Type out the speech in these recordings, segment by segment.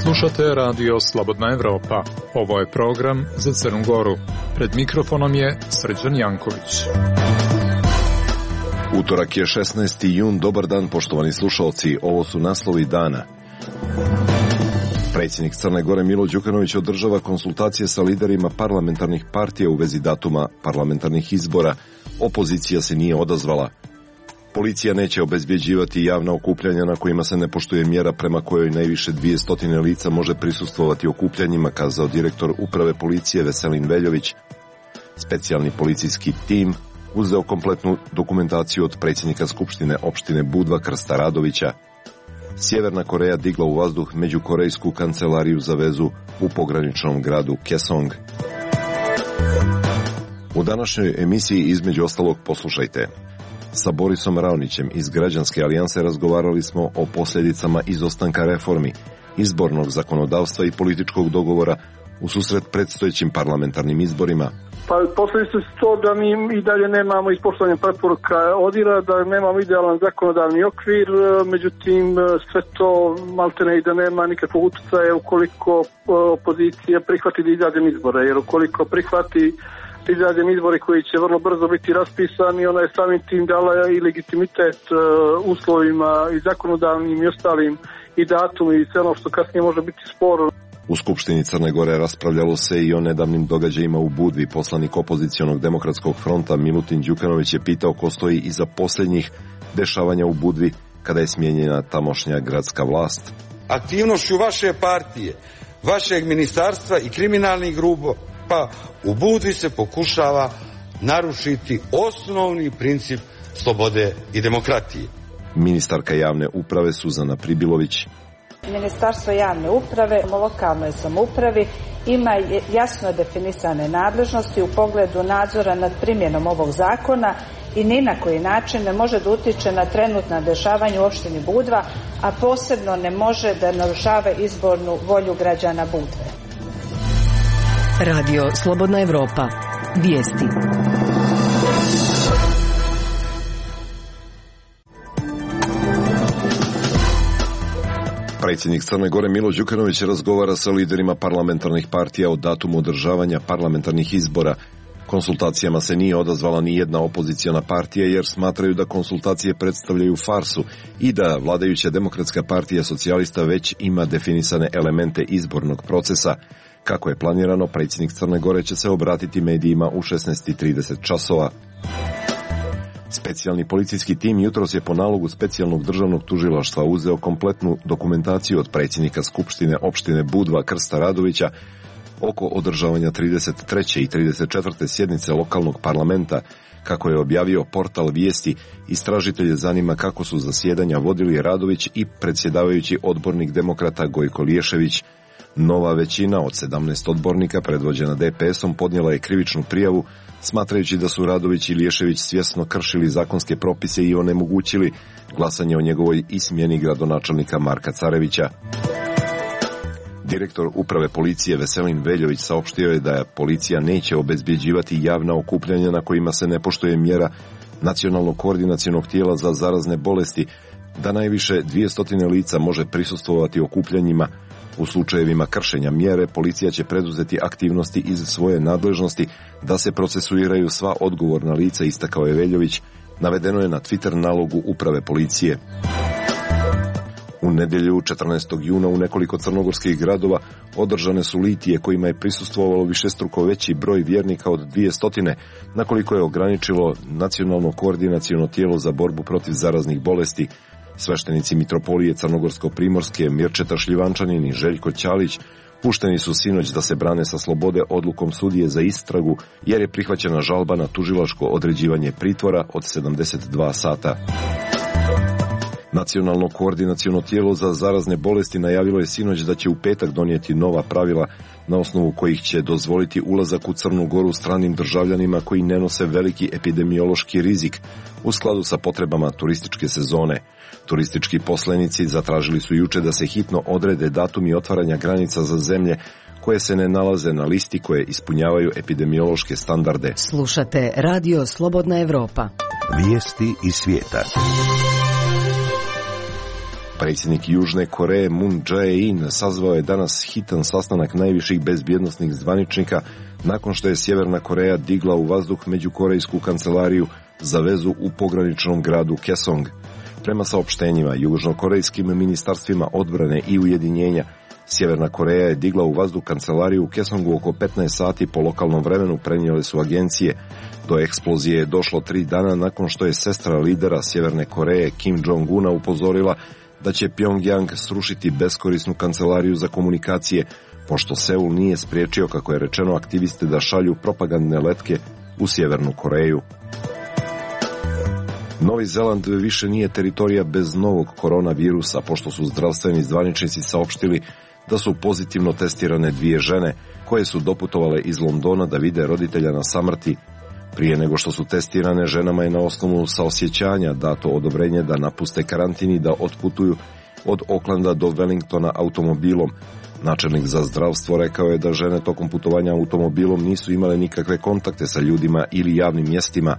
Slušate radio Slobodna Evropa. Ovo je program za Crnu Goru. Pred mikrofonom je Srđan Janković. Utorak je 16. jun. Dobar dan, poštovani slušalci. Ovo su naslovi dana. Predsjednik Crne Gore Milo Đukanović održava konsultacije sa liderima parlamentarnih partija u vezi datuma parlamentarnih izbora. Opozicija se nije odazvala. Policija neće obezbjeđivati javna okupljanja na kojima se ne poštuje mjera prema kojoj najviše 200 lica može prisustvovati okupljanjima, kazao direktor uprave policije Veselin Veljović. Specijalni policijski tim uzeo kompletnu dokumentaciju od predsjednika Skupštine opštine Budva Krsta Radovića. Sjeverna Koreja digla u vazduh međukorejsku kancelariju za vezu u pograničnom gradu Kesong. U današnjoj emisiji između ostalog poslušajte. Sa Borisom Raonićem iz Građanske alijanse razgovarali smo o posljedicama izostanka reformi, izbornog zakonodavstva i političkog dogovora u susret predstojećim parlamentarnim izborima. Pa posljedice su to da mi i dalje nemamo ispoštovanje preporuka ODIHR-a, da nemamo idealan zakonodavni okvir, međutim sve to maltene i da nema nikakvog utjecaja ukoliko opozicija prihvati da izađe izbore, jer ukoliko prihvati izađem izbori koji će vrlo brzo biti raspisani, ona je samim tim dala i legitimitet uslovima i zakonodavnim i ostalim i datum i sve ono što kasnije može biti sporno. U Skupštini Crne Gore raspravljalo se i o nedavnim događajima u Budvi. Poslanik opozicionog demokratskog fronta Milutin Đukanović je pitao ko stoji iza posljednjih dešavanja u Budvi kada je smijenjena tamošnja gradska vlast. Aktivnošću vaše partije, vašeg ministarstva i kriminalnih grupa u Budvi se pokušava narušiti osnovni princip slobode i demokratije. Ministarka javne uprave Suzana Pribilović. Ministarstvo javne uprave u lokalnoj samoupravi ima jasno definisane nadležnosti u pogledu nadzora nad primjenom ovog zakona i ni na koji način ne može da utiče na trenutna dešavanja u opštini Budva, a posebno ne može da narušava izbornu volju građana Budve. Radio Slobodna Evropa. Vijesti. Predsjednik Crne Gore Milo Đukanović razgovara sa liderima parlamentarnih partija o datumu održavanja parlamentarnih izbora. Konsultacijama se nije odazvala ni jedna opoziciona partija jer smatraju da konsultacije predstavljaju farsu i da vladajuća Demokratska partija socijalista već ima definisane elemente izbornog procesa. Kako je planirano, predsjednik Crne Gore će se obratiti medijima u 16:30 časova. Specijalni policijski tim jutros je po nalogu specijalnog državnog tužilaštva uzeo kompletnu dokumentaciju od predsjednika Skupštine opštine Budva Krsta Radovića oko održavanja 33. i 34. sjednice lokalnog parlamenta. Kako je objavio portal Vijesti, istražitelje zanima kako su zasjedanja vodili Radović i predsjedavajući odbornik demokrata Gojko Liješević. Nova većina od 17 odbornika predvođena DPS-om podnijela je krivičnu prijavu, smatrajući da su Radović i Liješević svjesno kršili zakonske propise i onemogućili glasanje o njegovoj i smjeni gradonačelnika Marka Carevića. Direktor uprave policije Veselin Veljović saopštio je da policija neće obezbjeđivati javna okupljanja na kojima se ne poštuje mjera Nacionalnog koordinacionog tijela za zarazne bolesti, da najviše 200 lica može prisustvovati okupljanjima. U slučajevima kršenja mjere, policija će preduzeti aktivnosti iz svoje nadležnosti da se procesuiraju sva odgovorna lica, istakao je Veljović. Navedeno je na Twitter nalogu uprave policije. U nedjelju 14. juna u nekoliko crnogorskih gradova održane su litije kojima je prisustvovalo višestruko veći broj vjernika od 200, nakoliko je ograničilo Nacionalno koordinaciono tijelo za borbu protiv zaraznih bolesti. Sveštenici mitropolije Crnogorsko-primorske Mirčeta Šljivančanin i Željko Ćalić pušteni su sinoć da se brane sa slobode odlukom sudije za istragu jer je prihvaćena žalba na tužilačko određivanje pritvora od 72 sata. Nacionalno koordinaciono tijelo za zarazne bolesti najavilo je sinoć da će u petak donijeti nova pravila na osnovu kojih će dozvoliti ulazak u Crnu Goru stranim državljanima koji ne nose veliki epidemiološki rizik u skladu sa potrebama turističke sezone. Turistički poslenici zatražili su juče da se hitno odrede datumi otvaranja granica za zemlje koje se ne nalaze na listi koje ispunjavaju epidemiološke standarde. Slušate Radio Slobodna Evropa. Vijesti iz svijeta. Predsjednik Južne Koreje Moon Jae-in sazvao je danas hitan sastanak najviših bezbjednosnih zvaničnika nakon što je Sjeverna Koreja digla u vazduh međukorejsku kancelariju za vezu u pograničnom gradu Kaesong. Prema saopštenjima južnokorejskim ministarstvima odbrane i ujedinjenja, Sjeverna Koreja je digla u vazduh kancelariju u Kaesongu oko 15 sati po lokalnom vremenu, prenijele su agencije. Do eksplozije je došlo 3 dana nakon što je sestra lidera Sjeverne Koreje Kim Jong-una upozorila da će Pyongyang srušiti beskorisnu kancelariju za komunikacije, pošto Seul nije spriječio, kako je rečeno, aktiviste da šalju propagandne letke u Sjevernu Koreju. Novi Zeland više nije teritorija bez novog koronavirusa, pošto su zdravstveni zvaničnici saopštili da su pozitivno testirane 2 žene koje su doputovale iz Londona da vide roditelja na samrti. Prije nego što su testirane, ženama je na osnovu saosjećanja dato odobrenje da napuste karantin i da otputuju od Aucklanda do Wellingtona automobilom. Načelnik za zdravstvo rekao je da žene tokom putovanja automobilom nisu imale nikakve kontakte sa ljudima ili javnim mjestima.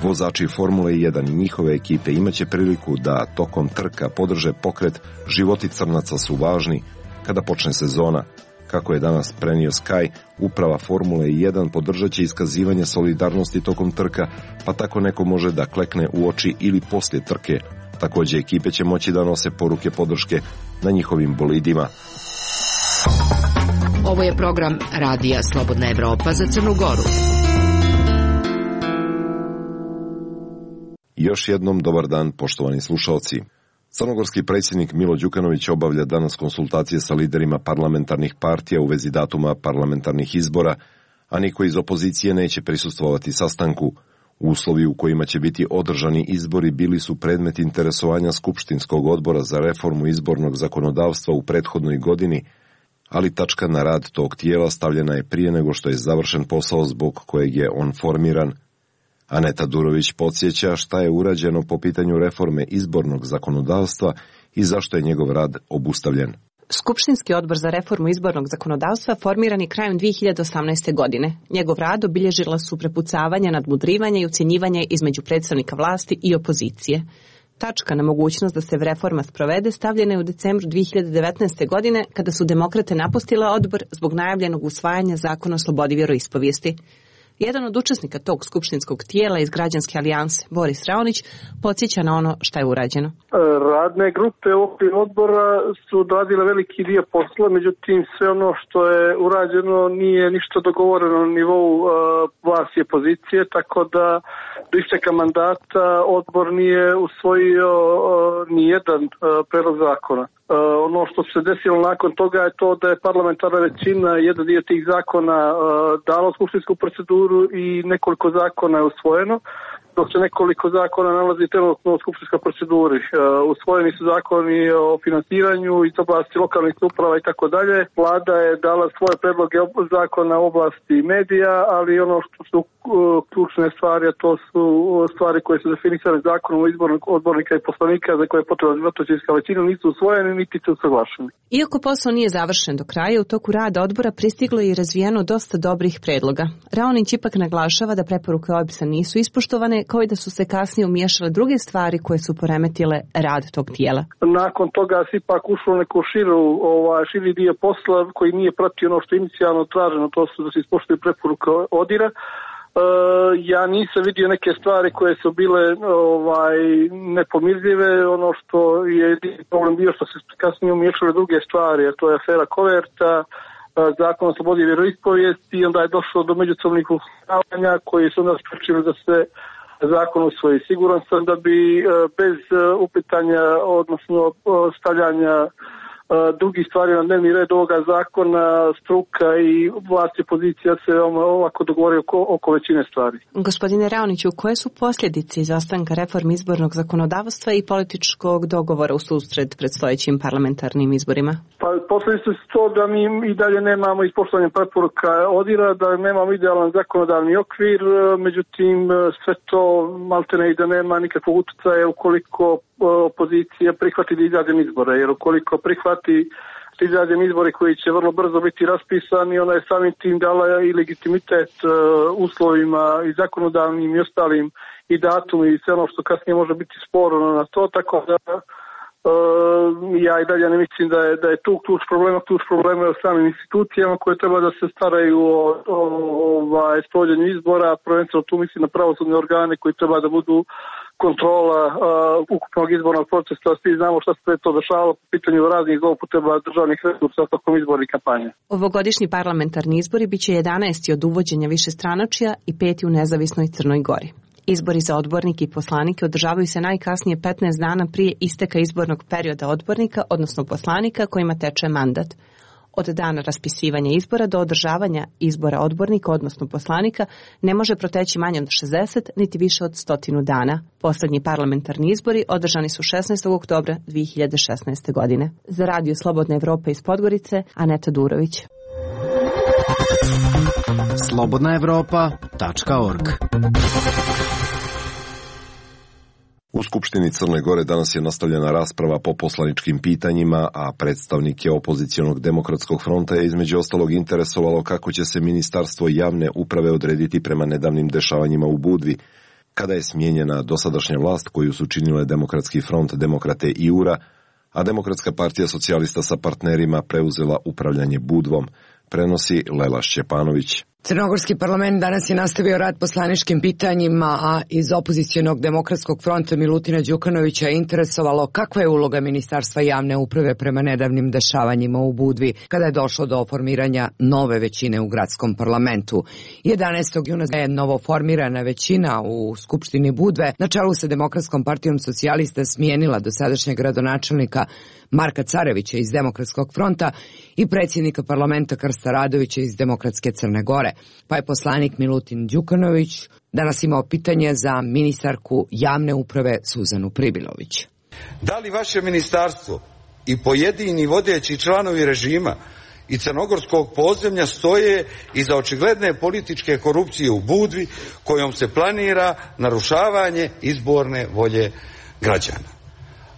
Vozači Formule 1 i njihove ekipe imaće priliku da tokom trka podrže pokret Životi crnaca su važni kada počne sezona. Kako je danas prenio Sky, uprava Formule 1 podržat će iskazivanje solidarnosti tokom trka, pa tako neko može da klekne u oči ili poslije trke. Također ekipe će moći da nose poruke podrške na njihovim bolidima. Ovo je program Radija Slobodna Evropa za Crnu Goru. Još jednom dobar dan, poštovani slušalci. Crnogorski predsjednik Milo Đukanović obavlja danas konsultacije sa liderima parlamentarnih partija u vezi datuma parlamentarnih izbora, a niko iz opozicije neće prisustvovati sastanku. Uslovi u kojima će biti održani izbori bili su predmet interesovanja Skupštinskog odbora za reformu izbornog zakonodavstva u prethodnoj godini, ali tačka na rad tog tijela stavljena je prije nego što je završen posao zbog kojeg je on formiran. Aneta Durović podsjeća šta je urađeno po pitanju reforme izbornog zakonodavstva i zašto je njegov rad obustavljen. Skupštinski odbor za reformu izbornog zakonodavstva formiran je krajem 2018. godine. Njegov rad obilježila su prepucavanja, nadmudrivanja i ucjenjivanje između predstavnika vlasti i opozicije. Tačka na mogućnost da se reforma sprovede stavljena je u decembru 2019. godine kada su demokrate napustile odbor zbog najavljenog usvajanja zakona o slobodi vjeroispovijesti. Jedan od učesnika tog skupštinskog tijela iz Građanske alijanse, Boris Raonić, podsjeća na ono što je urađeno. Radne grupe okvir odbora su odradile veliki dio posla, međutim sve ono što je urađeno nije ništa dogovoreno na nivou vlasti i opozicije, tako da do isteka mandata odbor nije usvojio nijedan predlog zakona. Ono što se desilo nakon toga je to da je parlamentarna većina jedan dio tih zakona dala u skupštinsku proceduru i nekoliko zakona je usvojeno, dok se nekoliko zakona nalazi trenutno u skupštinskoj proceduri. Usvojeni su zakoni o finansiranju iz oblasti lokalnih uprava i tako dalje. Vlada je dala svoje predloge zakona u oblasti medija, ali ono što su ključne stvari, a to su stvari koje su definisane zakonom o izbornog odbornika i poslanika za koje je potrebna dvotrećinska većina, nisu usvojeni niti su usaglašeni. Iako posao nije završen do kraja, u toku rada odbora pristiglo je i razvijeno dosta dobrih predloga. Raonić ipak naglašava da preporuke OEBS-a nisu ispoštovane, kao i da su se kasnije umiješale druge stvari koje su poremetile rad tog tijela. Nakon toga se ipak ušlo neku širi dio posla koji nije pratio ono što je inicijalno traženo, to su da se ispoštuju preporuke ODIR-a. Ja nisam vidio neke stvari koje su bile nepomirljive, ono što je problem bio što se kasnije umiješale druge stvari, a to je afera Koverta, zakon o slobodi vjeroispovijesti i onda je došlo do međusobnih uslovljavanja koji su nas pričili da se zakon usvoji. Siguran sam da bi bez upitanja, odnosno stavljanja drugih stvari na dnevni red ovoga zakona, struka i vlast i opozicija se ovako dogovori oko većine stvari. Gospodine Raoniću, koje su posljedice izostanka reforme izbornog zakonodavstva i političkog dogovora u susret predstojećim parlamentarnim izborima? Pa posljedice su to da mi i dalje nemamo ispoštovanje preporuka ODIR-a, da nemamo idealan zakonodavni okvir, međutim sve to maltene i da nema nikakvog utjecaja ukoliko opozicija prihvati da izađe izbore, jer ukoliko prihvati izađeni izbori koji će vrlo brzo biti raspisani, ona je samim tim dala i legitimitet uslovima i zakonodavnim i ostalim i datum i sve ono što kasnije može biti sporno na to, tako da ja i dalje ne mislim da je tu ključ problema je u samim institucijama koje treba da se staraju o sprovođenju izbora, prvenstveno tu mislim na pravosudne organe koji treba da budu kontrola ukupnog izbornog procesa. Svi znamo šta se to dešavalo po pitanju raznih zloupotreba državnih resursa tokom izbornih kampanje. Ovogodišnji parlamentarni izbori biće 11. od uvođenja višestranačja i 5. u nezavisnoj Crnoj Gori. Izbori za odbornike i poslanike održavaju se najkasnije 15 dana prije isteka izbornog perioda odbornika, odnosno poslanika kojima teče mandat. Od dana raspisivanja izbora do održavanja izbora odbornika, odnosno poslanika, ne može proteći manje od 60, niti više od 100 dana. Poslednji parlamentarni izbori održani su 16. oktobra 2016. godine. Za Radio Slobodna Evropa iz Podgorice, Aneta Durović. slobodnaevropa.org. U Skupštini Crne Gore danas je nastavljena rasprava po poslaničkim pitanjima, a predstavnike opozicionog demokratskog fronta je između ostalog interesovalo kako će se Ministarstvo javne uprave odrediti prema nedavnim dešavanjima u Budvi, kada je smijenjena dosadašnja vlast koju su činile Demokratski front, Demokrate i URA, a Demokratska partija socijalista sa partnerima preuzela upravljanje Budvom, prenosi Lela Šćepanović. Crnogorski parlament danas je nastavio rad poslaničkim pitanjima, a iz opozicionog demokratskog fronta Milutina Đukanovića je interesovalo kakva je uloga Ministarstva javne uprave prema nedavnim dešavanjima u Budvi, kada je došlo do formiranja nove većine u gradskom parlamentu. 11. juna je novoformirana većina u Skupštini Budve na čelu sa Demokratskom partijom socijalista smijenila dosadašnjeg gradonačelnika Marka Carevića iz Demokratskog fronta i predsjednika parlamenta Krsta Radovića iz Demokratske Crne Gore. Pa je poslanik Milutin Đukanović danas imao pitanje za ministarku javne uprave Suzanu Pribilović. Da li vaše ministarstvo i pojedini vodeći članovi režima i crnogorskog podzemlja stoje iza očigledne političke korupcije u Budvi kojom se planira narušavanje izborne volje građana?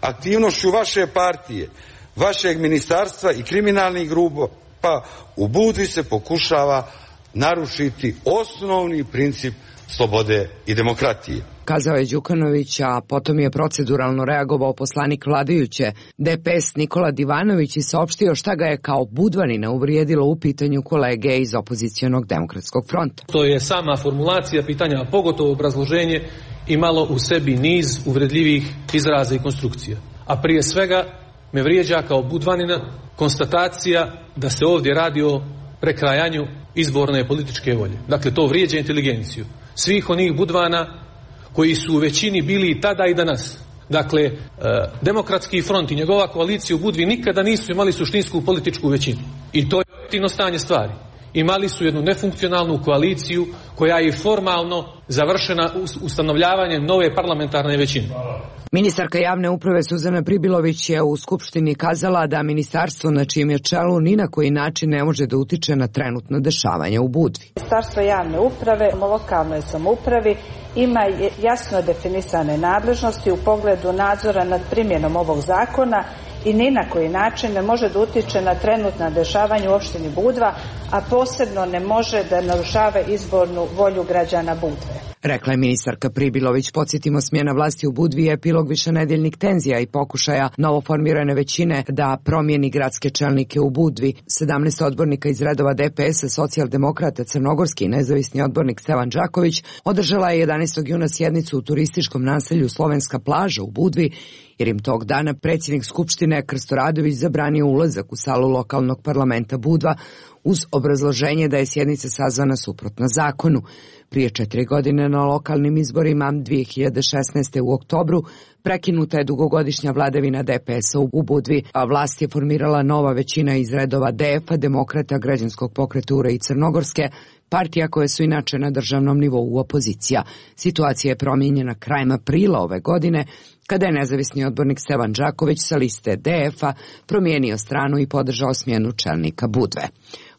Aktivnošću vaše partije, vašeg ministarstva i kriminalnih grupa u Budvi se pokušava narušiti osnovni princip slobode i demokratije. Kazao je Đukanović, a potom je proceduralno reagovao poslanik vladajuće DPS Nikola Divanović i saopštio šta ga je kao Budvanina uvrijedilo u pitanju kolege iz opozicionog demokratskog fronta. To je sama formulacija pitanja, a pogotovo obrazloženje, imalo u sebi niz uvredljivih izraza i konstrukcija. A prije svega me vrijeđa kao Budvanina konstatacija da se ovdje radi o prekrajanju izborne političke volje. Dakle, to vrijeđa inteligenciju svih onih Budvana koji su u većini bili i tada i danas. Dakle, Demokratski front i njegova koalicija u Budvi nikada nisu imali suštinsku političku većinu. I to je objektivno stanje stvari. Imali su jednu nefunkcionalnu koaliciju koja je formalno završena ustanovljavanjem nove parlamentarne većine. Ministarka javne uprave Suzana Pribilović je u Skupštini kazala da ministarstvo na čijem je čelu ni na koji način ne može da utiče na trenutno dešavanje u Budvi. Ministarstvo javne uprave u lokalnoj samoupravi ima jasno definisane nadležnosti u pogledu nadzora nad primjenom ovog zakona i ni na koji način ne može da utiče na trenutna dešavanja u opštini Budva, a posebno ne može da narušava izbornu volju građana Budve. Rekla je ministarka Pribilović. Podsjetimo, smjena vlasti u Budvi je epilog višenedeljnih tenzija i pokušaja novoformirane većine da promijeni gradske čelnike u Budvi. 17 odbornika iz redova DPS-a, socijaldemokrata, crnogorski nezavisni odbornik Stevan Đaković održala je 11. juna sjednicu u turističkom naselju Slovenska plaža u Budvi, jer im tog dana predsjednik Skupštine Krsto Radović zabranio ulazak u salu lokalnog parlamenta Budva uz obrazloženje da je sjednica sazvana suprotno zakonu. Prije 4 godine na lokalnim izborima 2016. u oktobru prekinuta je dugogodišnja vladavina DPS-a u Budvi, a vlast je formirala nova većina iz redova DF-a, Demokrata, Građanskog pokreta URA i Crnogorske, partija koje su inače na državnom nivou opozicija. Situacija je promijenjena krajem aprila ove godine, kada je nezavisni odbornik Stevan Đaković sa liste DF-a promijenio stranu i podržao smjenu čelnika Budve.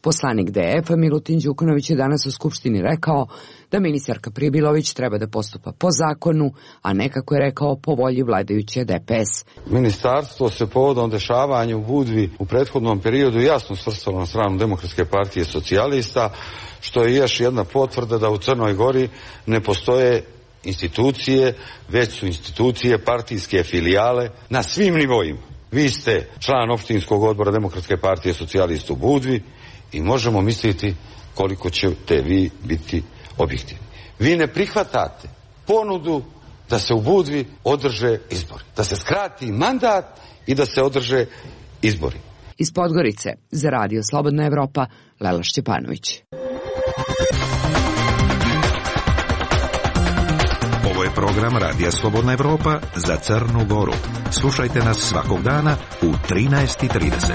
Poslanik DF-a Milutin Đukanović je danas u Skupštini rekao da ministarka Pribilović treba da postupa po zakonu, a ne, kako je rekao, po volji vladajuće DPS. Ministarstvo se povodom dešavanja u Budvi u prethodnom periodu jasno svrstalo na stranu Demokratske partije socijalista, što je još jedna potvrda da u Crnoj Gori ne postoje institucije, već su institucije partijske filijale na svim nivoima. Vi ste član opštinskog odbora Demokratske partije socijalista u Budvi i možemo misliti koliko ćete vi biti objektivni. Vi ne prihvatate ponudu da se u Budvi održe izbori, da se skrati mandat i da se održe izbori. Iz Podgorice za Radio Slobodna Evropa, Lela Šćepanović. Ovo je program Radija Slobodna Evropa za Crnu Goru. Slušajte nas svakog dana u 13:30.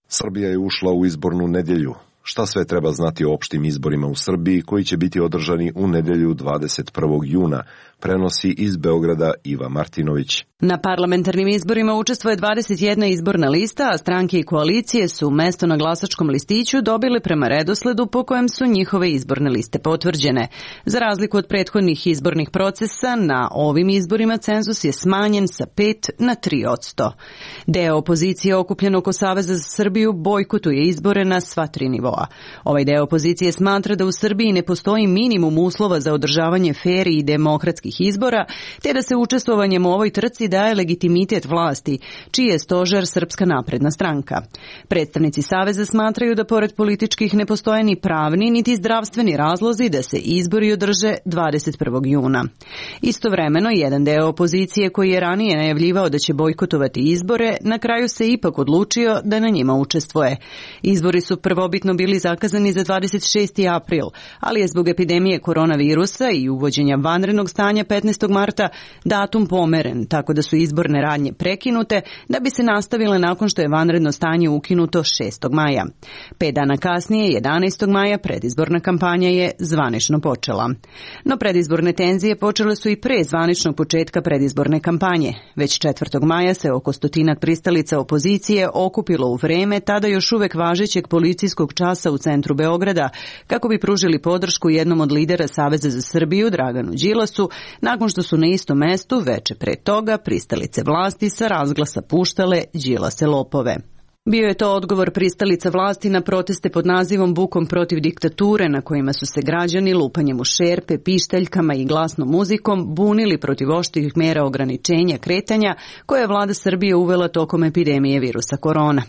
Srbija je ušla u izbornu nedjelju. Šta sve treba znati o opštim izborima u Srbiji koji će biti održani u nedjelju 21. juna, prenosi iz Beograda Iva Martinović. Na parlamentarnim izborima učestvuje 21 izborna lista, a stranke i koalicije su mesto na glasačkom listiću dobile prema redosledu po kojem su njihove izborne liste potvrđene. Za razliku od prethodnih izbornih procesa, na ovim izborima cenzus je smanjen sa 5 na 3%. Deo opozicije okupljen oko Saveza za Srbiju bojkotuje izbore na sva 3 nivoa. Ovaj deo opozicije smatra da u Srbiji ne postoji minimum uslova za održavanje fer i demokratskih izbora, te da se učestvovanjem u ovoj trci daje legitimitet vlasti, čiji je stožer Srpska napredna stranka. Predstavnici Saveza smatraju da pored političkih ne postoje ni pravni niti zdravstveni razlozi da se izbori održe 21. juna. Istovremeno, jedan deo opozicije koji je ranije najavljivao da će bojkotovati izbore, na kraju se ipak odlučio da na njima učestvuje. Izbori su prvobitno bili zakazani za 26. april, ali je zbog epidemije koronavirusa i uvođenja vanrednog stanja 15. marta datum pomeren, tako da su izborne radnje prekinute da bi se nastavile nakon što je vanredno stanje ukinuto 6. maja. 5 dana kasnije, 11. maja, predizborna kampanja je zvanično počela. No predizborne tenzije počele su i pre zvaničnog početka predizborne kampanje. Već 4. maja se oko 100 pristalica opozicije okupilo u vreme tada još uvek važećeg policijskog časa u centru Beograda kako bi pružili podršku jednom od lidera Saveza za Srbiju, Draganu Đilasu, nakon što su na istom mestu veče pre toga pristalice vlasti sa razglasa puštale Đilase lopove. Bio je to odgovor pristalica vlasti na proteste pod nazivom Bukom protiv diktature, na kojima su se građani lupanjem u šerpe, pištaljkama i glasnom muzikom bunili protiv oštrih mera ograničenja kretanja koje je vlada Srbije uvela tokom epidemije virusa korona.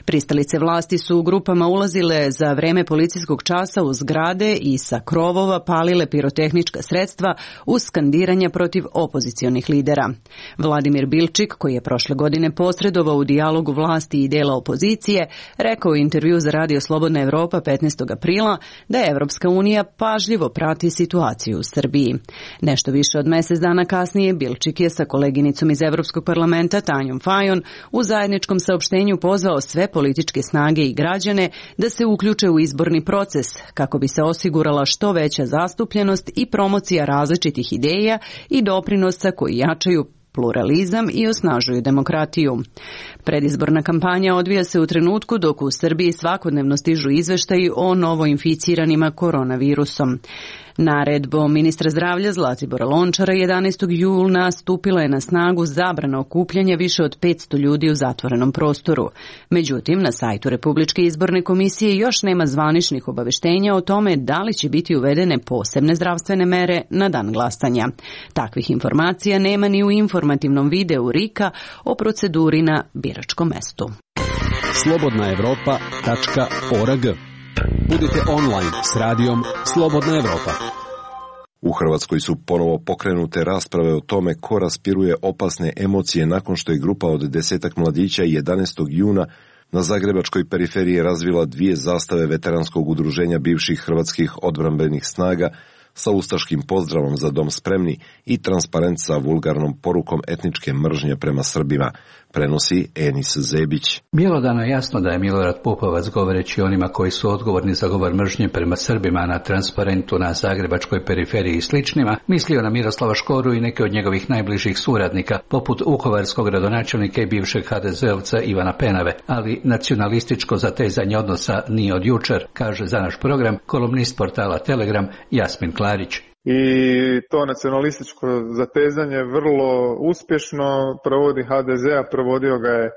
Pristalice vlasti su u grupama ulazile za vreme policijskog časa u zgrade i sa krovova palile pirotehnička sredstva uz skandiranja protiv opozicionih lidera. Vladimir Bilčik, koji je prošle godine posredovao u dijalogu vlasti i dela opozicije, rekao u intervju za Radio Slobodna Evropa 15. aprila da je Evropska unija pažljivo prati situaciju u Srbiji. Nešto više od mesec dana kasnije Bilčik je sa koleginicom iz Evropskog parlamenta Tanjom Fajon u zajedničkom saopštenju pozvao sve političke snage i građane da se uključe u izborni proces kako bi se osigurala što veća zastupljenost i promocija različitih ideja i doprinosa koji jačaju pluralizam i osnažuju demokratiju. Predizborna kampanja odvija se u trenutku dok u Srbiji svakodnevno stižu izveštaji o novoinficiranima koronavirusom. Naredbom ministra zdravlja Zlatibora Lončara 11. juna stupila je na snagu zabrana okupljanja više od 500 ljudi u zatvorenom prostoru. Međutim, na sajtu Republičke izborne komisije još nema zvaničnih obaveštenja o tome da li će biti uvedene posebne zdravstvene mere na dan glasanja. Takvih informacija nema ni u informativnom videu RIK-a o proceduri na biračkom mestu. slobodnaevropa.org. Budite online s radijom Slobodna Evropa. U Hrvatskoj su ponovo pokrenute rasprave o tome ko raspiruje opasne emocije nakon što je grupa od 10 mladića 11. juna na zagrebačkoj periferiji razvila 2 zastave veteranskog udruženja bivših hrvatskih odbrambenih snaga sa ustaškim pozdravom Za dom spremni i transparent sa vulgarnom porukom etničke mržnje prema Srbima, prenosi Enis Zebić. Bjelodano je jasno da je Milorad Pupovac, govoreći onima koji su odgovorni za govor mržnje prema Srbima na transparentu na zagrebačkoj periferiji i sličnima, mislio na Miroslava Škoru i neke od njegovih najbližih suradnika, poput vukovarskog gradonačelnika i bivšeg HDZ-ovca Ivana Penave, ali nacionalističko zatezanje odnosa nije od jučer, kaže za naš program kolumnist portala Telegram Jasmin Klarić. I to nacionalističko zatezanje vrlo uspješno provodi HDZ, a provodio ga je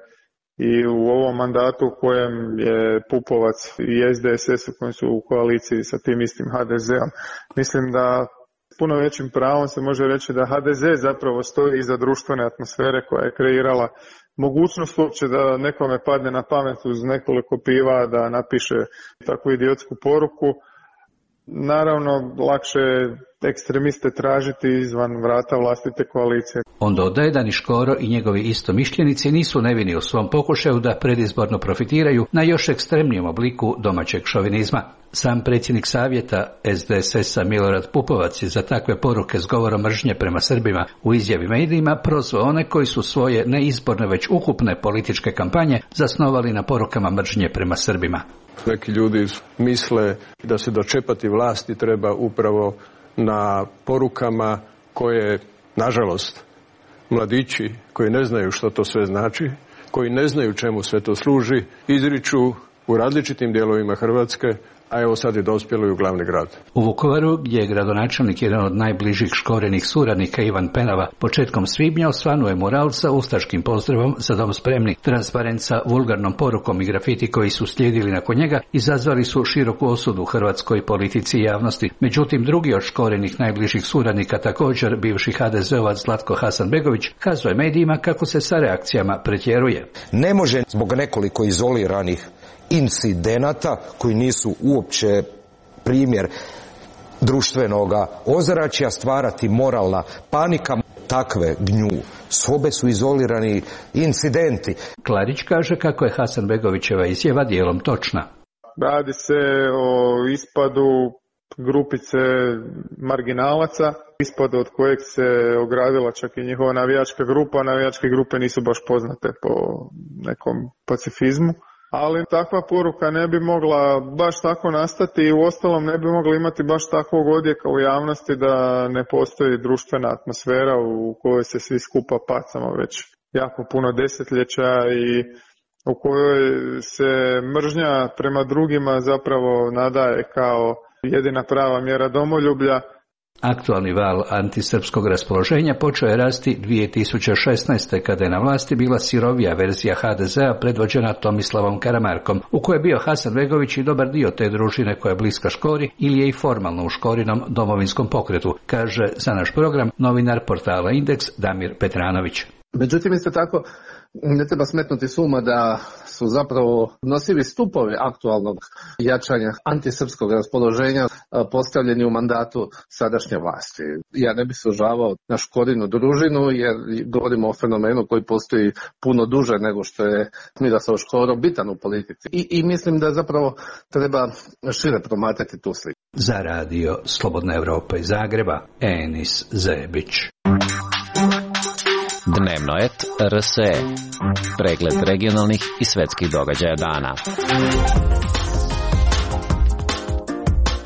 i u ovom mandatu u kojem je Pupovac i SDSS u kojem su u koaliciji sa tim istim HDZ-om. Mislim da puno većim pravom se može reći da HDZ zapravo stoji iza društvene atmosfere koja je kreirala mogućnost uopće da nekome padne na pamet uz nekoliko piva da napiše takvu idiotsku poruku. Naravno, lakše je ekstremiste tražiti izvan vrata vlastite koalicije. On dodaje da ni Škoro i njegovi istomišljenici nisu nevini u svom pokušaju da predizborno profitiraju na još ekstremnijem obliku domaćeg šovinizma. Sam predsjednik savjeta SDSS-a Milorad Pupovac je za takve poruke s govorom mržnje prema Srbima u izjavi medijima prozvao one koji su svoje neizborne već ukupne političke kampanje zasnovali na porukama mržnje prema Srbima. Neki ljudi misle da se dočepati vlasti treba upravo na porukama koje, nažalost, mladići koji ne znaju što to sve znači, koji ne znaju čemu sve to služi, izriču u različitim dijelovima Hrvatske, a evo sad je dospjelo i u glavni grad. U Vukovaru, gdje je gradonačelnik jedan od najbližih Škorenih suradnika Ivan Penava, početkom svibnja osvanuo je mural sa ustaškim pozdravom Za dom spremni. Transparent sa vulgarnom porukom i grafiti koji su slijedili nakon njega izazvali su široku osudu u hrvatskoj politici i javnosti. Međutim, drugi od Škorenih najbližih suradnika, također bivši HDZ-ovac Zlatko Hasanbegović, kazao je medijima kako se sa reakcijama pretjeruje. Ne može zbog nekoliko izoliranih incidenata koji nisu uopće primjer društvenoga ozračja stvarati moralna panika. Takve gnju sobe su izolirani incidenti. Klarić kaže kako je Hasanbegovićeva izjava dijelom točna. Radi se o ispadu grupice marginalaca, ispadu od kojeg se ogradila čak i njihova navijačka grupa. Navijačke grupe nisu baš poznate po nekom pacifizmu. Ali takva poruka ne bi mogla baš tako nastati i uostalom ne bi mogla imati baš takvog odjeka u javnosti da ne postoji društvena atmosfera u kojoj se svi skupa pacamo već jako puno desetljeća i u kojoj se mržnja prema drugima zapravo nadaje kao jedina prava mjera domoljublja. Aktualni val antisrpskog raspoloženja počeo je rasti 2016. kada je na vlasti bila sirovija verzija HDZ-a predvođena Tomislavom Karamarkom, u kojoj je bio Hasanbegović i dobar dio te družine koja je bliska Škori ili je i formalno u Škorinom domovinskom pokretu, kaže za naš program novinar portala Indeks Damir Petranović. Međutim, isto tako ne treba smetnuti s uma da su zapravo nosivi stupovi aktualnog jačanja antisrpskog raspoloženja postavljeni u mandatu sadašnje vlasti. Ja ne bih se ožavao na Škorinu družinu jer govorimo o fenomenu koji postoji puno duže nego što je Miroslav Škoro bitan u politici. I mislim da zapravo treba šire promatrati tu sliku. Za radio Slobodna Evropa iz Zagreba, Enis Zebić. Dnevnoet RSE. Pregled regionalnih i svetskih događaja dana.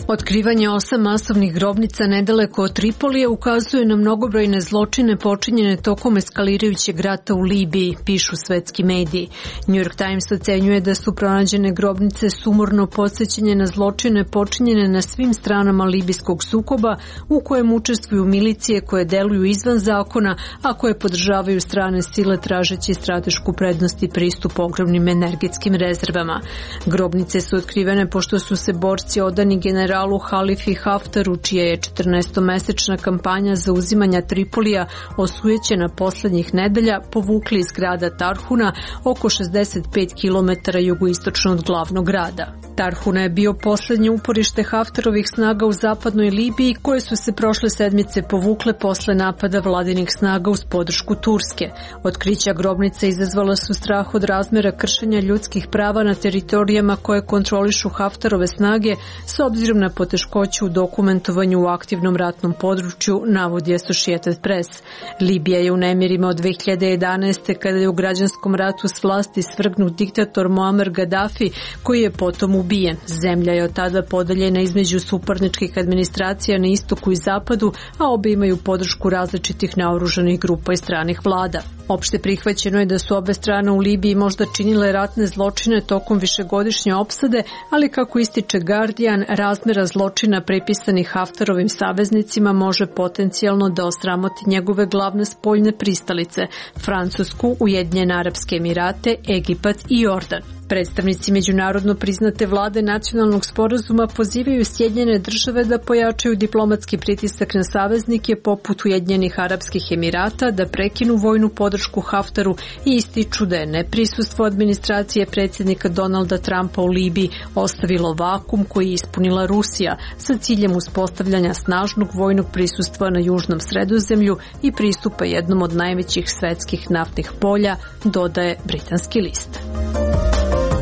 Otkrivanje 8 masovnih grobnica nedaleko od Tripolija ukazuje na mnogobrojne zločine počinjene tokom eskalirajućeg rata u Libiji, pišu svetski mediji. New York Times ocenjuje da su pronađene grobnice sumorno podsjećanje na zločine počinjene na svim stranama libijskog sukoba u kojem učestvuju milicije koje deluju izvan zakona, a koje podržavaju strane sile tražeći stratešku prednost i pristup ogromnim energetskim rezervama. Grobnice su otkrivene pošto su se borci odani generalu Halifi Haftaru, čija je 14-mesečna kampanja za uzimanja Tripolija osujećena poslednjih nedelja, povukli iz grada Tarhuna oko 65 km jugoistočno od glavnog grada. Tarhuna je bio poslednje uporište Haftarovih snaga u zapadnoj Libiji, koje su se prošle sedmice povukle posle napada vladinih snaga uz podršku Turske. Otkrića grobnica izazvala su strah od razmera kršenja ljudskih prava na teritorijama koje kontrolišu Haftarove snage s obzirom na na poteškoću u dokumentovanju u aktivnom ratnom području, navodi Associated Press. Libija je u nemirima od 2011. kada je u građanskom ratu s vlasti svrgnut diktator Muammar Gaddafi, koji je potom ubijen. Zemlja je od tada podeljena između suparničkih administracija na istoku i zapadu, a obe imaju podršku različitih naoružanih grupa i stranih vlada. Opšte prihvaćeno je da su obe strane u Libiji možda činile ratne zločine tokom višegodišnje opsade, ali kako ističe Guardian, razmera zločina pripisanih Haftarovim saveznicima može potencijalno da osramoti njegove glavne spoljne pristalice, Francusku, Ujedinjene Arapske Emirate, Egipat i Jordan. Predstavnici međunarodno priznate vlade nacionalnog sporazuma pozivaju Sjedinjene države da pojačaju diplomatski pritisak na saveznike poput Ujedinjenih Arapskih Emirata, da prekinu vojnu podršku Haftaru i ističu da je neprisustvo administracije predsjednika Donalda Trumpa u Libiji ostavilo vakum koji je ispunila Rusija sa ciljem uspostavljanja snažnog vojnog prisustva na južnom Sredozemlju i pristupa jednom od najvećih svetskih naftnih polja, dodaje britanski list.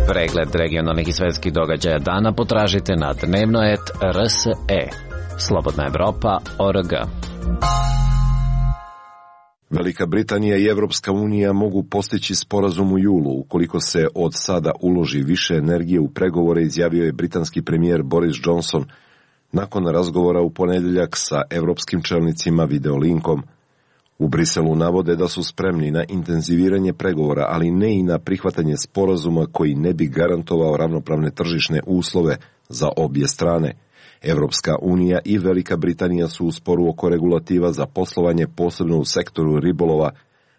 Pregled regionalnih i svetskih događaja dana potražite na dnevnoet.rse. Slobodna Evropa.org. Velika Britanija i Evropska unija mogu postići sporazum u julu ukoliko se od sada uloži više energije u pregovore, izjavio je britanski premijer Boris Johnson nakon razgovora u ponedjeljak sa evropskim čelnicima videolinkom. U Briselu navode da su spremni na intenziviranje pregovora, ali ne i na prihvatanje sporazuma koji ne bi garantovao ravnopravne tržišne uslove za obje strane. Evropska unija i Velika Britanija su u sporu oko regulativa za poslovanje, posebno u sektoru ribolova.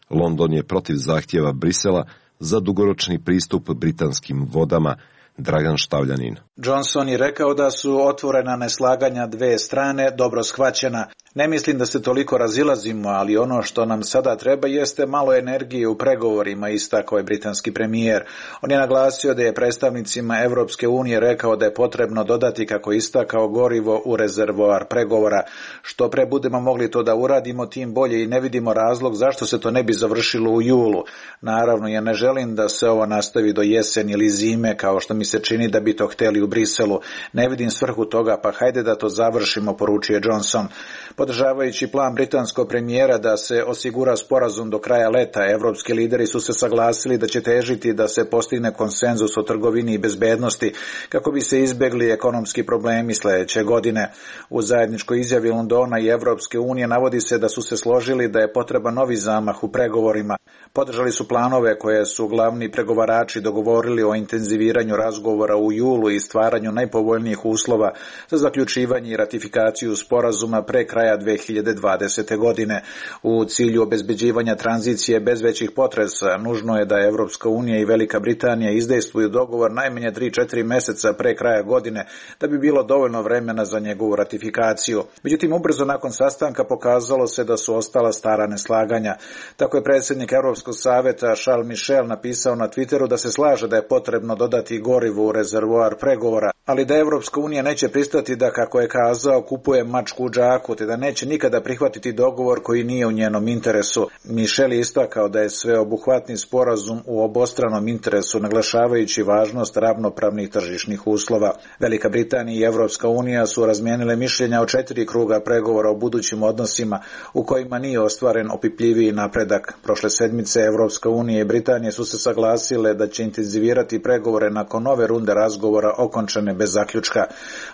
London je protiv zahtjeva Brisela za dugoročni pristup britanskim vodama. Dragan Štavljanin. Johnson je rekao da su otvorena neslaganja dve strane dobro shvaćena. Ne mislim da se toliko razilazimo, ali ono što nam sada treba jeste malo energije u pregovorima, istakao je britanski premijer. On je naglasio da je predstavnicima Evropske unije rekao da je potrebno dodati, kako istakao, gorivo u rezervoar pregovora. Što pre budemo mogli to da uradimo, tim bolje, i ne vidimo razlog zašto se to ne bi završilo u julu. Naravno, ja ne želim da se ovo nastavi do jeseni ili zime, kao što mi se čini da bi to htjeli u Briselu. Ne vidim svrhu toga, pa hajde da to završimo, poručuje Johnson. Podržavajući plan britanskog premijera da se osigura sporazum do kraja leta, evropski lideri su se saglasili da će težiti da se postigne konsenzus o trgovini i bezbednosti kako bi se izbjegli ekonomski problemi sljedeće godine. U zajedničkoj izjavi Londona i Evropske unije navodi se da su se složili da je potreban novi zamah u pregovorima. Podržali su planove koje su glavni pregovarači dogovorili o intenziviranju razgovora u julu i stvaranju najpovoljnijih uslova za zaključivanje i ratifikaciju sporazuma pre kraja 2020. godine. U cilju obezbeđivanja tranzicije bez većih potresa, nužno je da Evropska unija i Velika Britanija izdejstvuju dogovor najmanje 3-4 mjeseca pre kraja godine, da bi bilo dovoljno vremena za njegovu ratifikaciju. Međutim, ubrzo nakon sastanka pokazalo se da su ostala stara neslaganja. Tako je predsjednik Europskog savjeta Charles Michel napisao na Twitteru da se slaže da je potrebno dodati gorivo u rezervoar pregovora, ali da Evropska unija neće pristati da, kako je kazao, kupuje mačku u džaku, te da neće nikada prihvatiti dogovor koji nije u njenom interesu. Michel je istakao da je sveobuhvatni sporazum u obostranom interesu, naglašavajući važnost ravnopravnih tržišnih uslova. Velika Britanija i Evropska unija su razmijenile mišljenja o 4 kruga pregovora o budućim odnosima u kojima nije ostvaren opipljiviji napredak. Prošle sedmice Evropska unija i Britanija su se saglasile da će intenzivirati pregovore nakon nove runde razgovora okončane bez zaključka.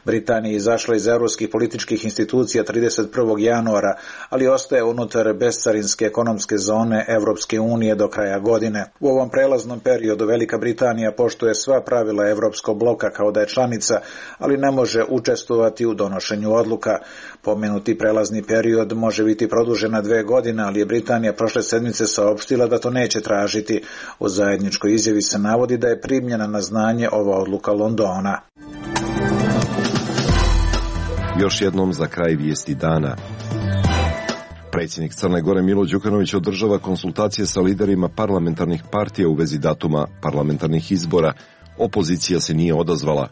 Britanija je izašla iz europskih političkih institucija 31. januara, ali ostaje unutar bescarinske ekonomske zone Evropske unije do kraja godine. U ovom prelaznom periodu Velika Britanija poštuje sva pravila Evropskog bloka kao da je članica, ali ne može učestvovati u donošenju odluka. Pomenuti prelazni period može biti produžen na 2 godine, ali je Britanija prošle sedmice saopštila da to neće tražiti. U zajedničkoj izjavi se navodi da je primljena na znanje ova odluka Londona. Još jednom za kraj vijesti dana. Predsjednik Crne Gore Milo Đukanović održava konsultacije sa liderima parlamentarnih partija u vezi datuma parlamentarnih izbora. Opozicija se nije odazvala.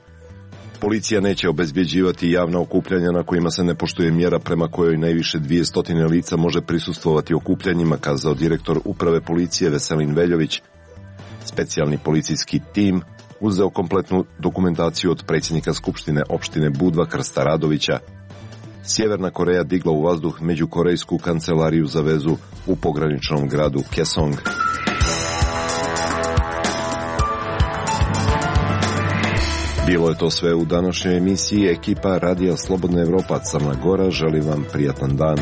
Policija neće obezbjeđivati javna okupljanja na kojima se ne poštuje mjera prema kojoj najviše 200 lica može prisustvovati okupljanjima, kazao direktor uprave policije Veselin Veljović. Specijalni policijski tim uzeo kompletnu dokumentaciju od predsjednika Skupštine opštine Budva Krsta Radovića. Sjeverna Koreja digla u vazduh međukorejsku kancelariju za vezu u pograničnom gradu Kesong. Bilo je to sve u današnjoj emisiji. Ekipa Radija Slobodna Evropa Crna Gora želi vam prijatan dan.